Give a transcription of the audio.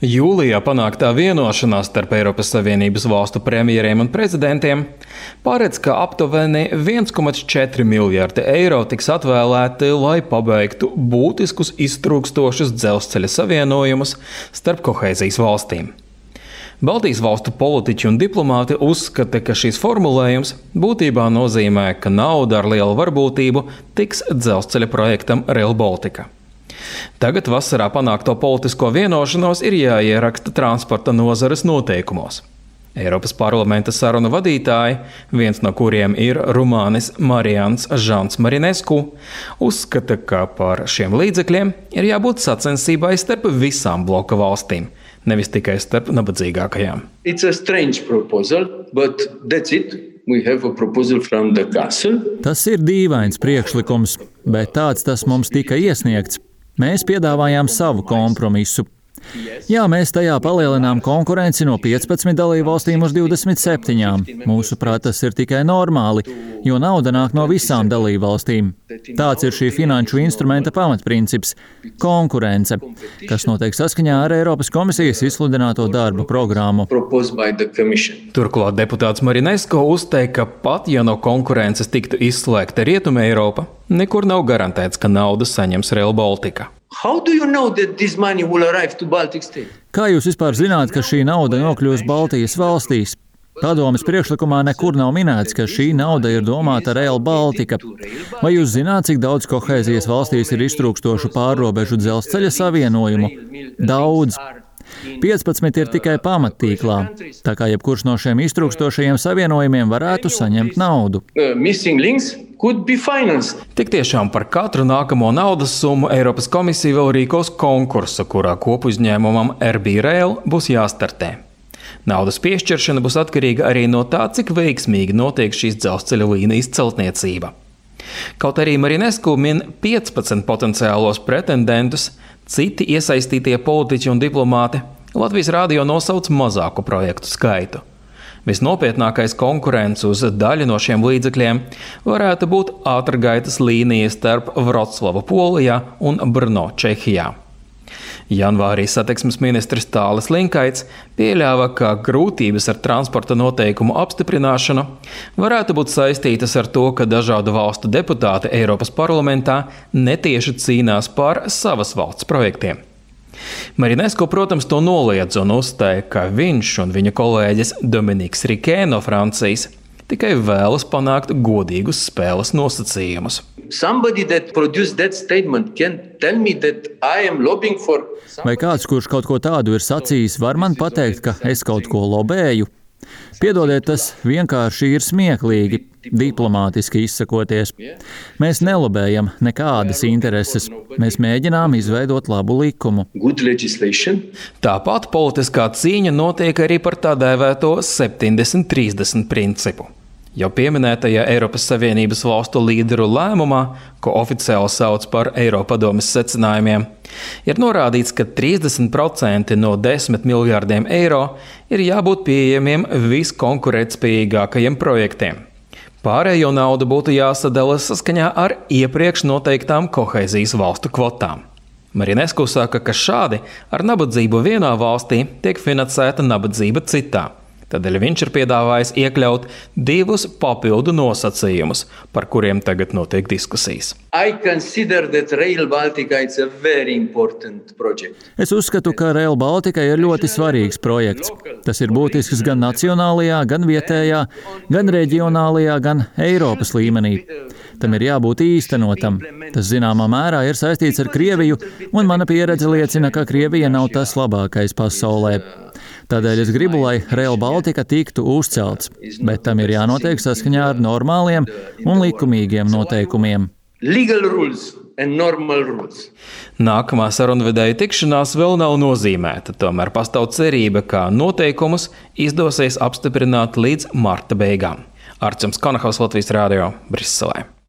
Jūlijā panāktā vienošanās starp Eiropas Savienības valstu premjeriem un prezidentiem paredz, ka aptuveni 1,4 miljardi eiro tiks atvēlēti, lai pabeigtu būtiskus iztrūkstošus dzelzceļa savienojumus starp kohēzijas valstīm. Baltijas valstu politiķi un diplomāti uzskata, ka šis formulējums būtībā nozīmē, ka nauda ar lielu varbūtību tiks dzelzceļa projektam Rail Baltica. Tagad vasarā panākto politisko vienošanos ir jāieraksta transporta nozares noteikumos. Eiropas parlamenta sarunu vadītāji, viens no kuriem ir rumānis Marians Žants Marinescu, uzskata, ka par šiem līdzekļiem ir jābūt sacensībai starp visām bloka valstīm, nevis tikai starp nabadzīgākajām. It's a strange proposal, but that's it. We have a proposal from the council. Tas ir dīvains priekšlikums, bet tāds tas mums tika iesniegts. Mēs piedāvājām savu kompromisu. Jā, mēs tajā palielinām konkurenci no 15 dalībvalstīm uz 27. Mūsuprāt, tas ir tikai normāli, jo nauda nāk no visām dalībvalstīm. Tāds ir šī finanšu instrumenta pamatprincips – konkurence, kas notiek saskaņā ar Eiropas komisijas izsludināto darba programmu. Turklāt deputāts Marinescu uzteica, ka pat ja no konkurences tiktu izslēgta Rietuma Eiropa, nekur nav garantēts, ka naudu saņems Rail Baltica. Kā jūs vispār zināt, ka šī nauda nokļūs Baltijas valstīs? Padomes priekšlikumā nekur nav minēts, ka šī nauda ir domāta Rail Baltica. Vai jūs zināt, cik daudz kohēzijas valstīs ir iztrūkstošu pārrobežu dzelzceļa savienojumu? Daudz. 15 ir tikai pamattīklā, tā kā jebkurš no šiem iztrūkstošajiem savienojumiem varētu saņemt naudu. Tik tiešām par katru nākamo naudas summu Eiropas komisija vēl rīkos konkursu, kurā kopuzņēmumam RB Rail būs jāstartē. Naudas piešķiršana būs atkarīga arī no tā, cik veiksmīgi notiek šīs dzelzceļa līnijas celtniecība. Kaut arī Marinescu min 15 potenciālos pretendentus, citi iesaistītie politiķi un diplomāti Latvijas radio nosauc mazāku projektu skaitu. Visnopietnākais konkurents uz daļu no šiem līdzekļiem varētu būt ātrgaitas līnija starp Vroclavu Polijā un Brno Čehijā. Janvārī satiksmes ministrs Tālis Linkaits pieļāva, ka grūtības ar transporta noteikumu apstiprināšanu varētu būt saistītas ar to, ka dažādu valstu deputāti Eiropas parlamentā netieši cīnās par savas valsts projektiem. Marinescu, protams, to noliedz un uzstāja, ka viņš un viņa kolēģis Dominiks Rikē no Francijas tikai vēlas panākt godīgus spēles nosacījumus. Vai kāds, kurš kaut ko tādu ir sacījis, var man pateikt, ka es kaut ko lobēju? Piedodiet, tas vienkārši ir smieklīgi, diplomātiski izsakoties. Mēs nelobējam nekādas intereses. Mēs mēģinām izveidot labu likumu. Tāpat politiskā cīņa notiek arī par tā dēvēto 70-30 principu. Jau pieminētajā Eiropas Savienības valstu līderu lēmumā, ko oficiāli sauc par Eiropadomes secinājumiem, ir norādīts, ka 30% no 10 miljārdiem eiro ir jābūt pieejamiem viskonkurētspējīgākajiem projektiem. Pārējo naudu būtu jāsadala saskaņā ar iepriekš noteiktām kohēzijas valstu kvotām. Marinescu saka, ka šādi ar nabadzību vienā valstī tiek finansēta nabadzība citā. Tādēļ viņš ir piedāvājis iekļaut 2 papildu nosacījumus, par kuriem tagad notiek diskusijas. Es uzskatu, ka Rail Baltica ir ļoti svarīgs projekts. Tas ir būtisks gan nacionālajā, gan vietējā, gan reģionālajā, gan Eiropas līmenī. Tam ir jābūt īstenotam. Tas zināmā mērā ir saistīts ar Krieviju, un mana pieredze liecina, ka Krievija nav tas labākais pasaulē. Tādēļ es gribu, lai Rail Baltica tiktu uzcelts, bet tam ir jānotiek saskaņā ar normāliem un likumīgiem noteikumiem. Nākamā sarunvedēja tikšanās vēl nav nozīmēta, tomēr pastāv cerība, ka noteikumus izdosies apstiprināt līdz marta beigām. Arčuns Konahaus, Latvijas radio, Briselē.